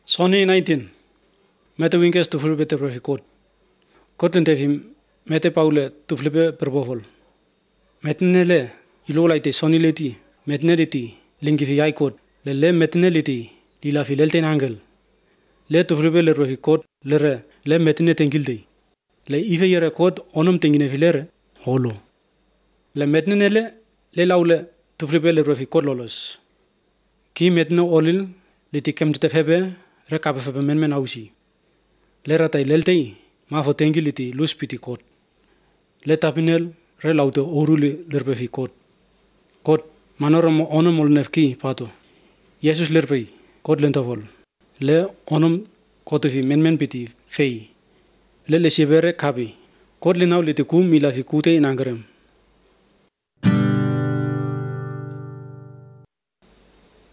Sony 19. Mete winges tu flipe te profi Kot lente fim mete paule tu flipe perbofol. Metnele ilolaite Sony leti metneliti lingi fi ai kot le metneliti lila fi lelte angel. Le tu flipe le profi kot le metne tengilde. Le ife yere kot onom tengine filere holo. Le metnele le laule tu flipe le profi kot lolos. Ki metne olil liti kem te febe rekabe febe men ausi. Le ratai leltei ma fo tengiliti luspiti kot. Le tapinel re laute oruli lerpefi kot. Kot manorom onom ol nefki pato. Yesus lerpei kot lentofol. Le onom kotufi men piti fei. Le sibere kabi. Kot linau liti kum mila fi kute inangrem.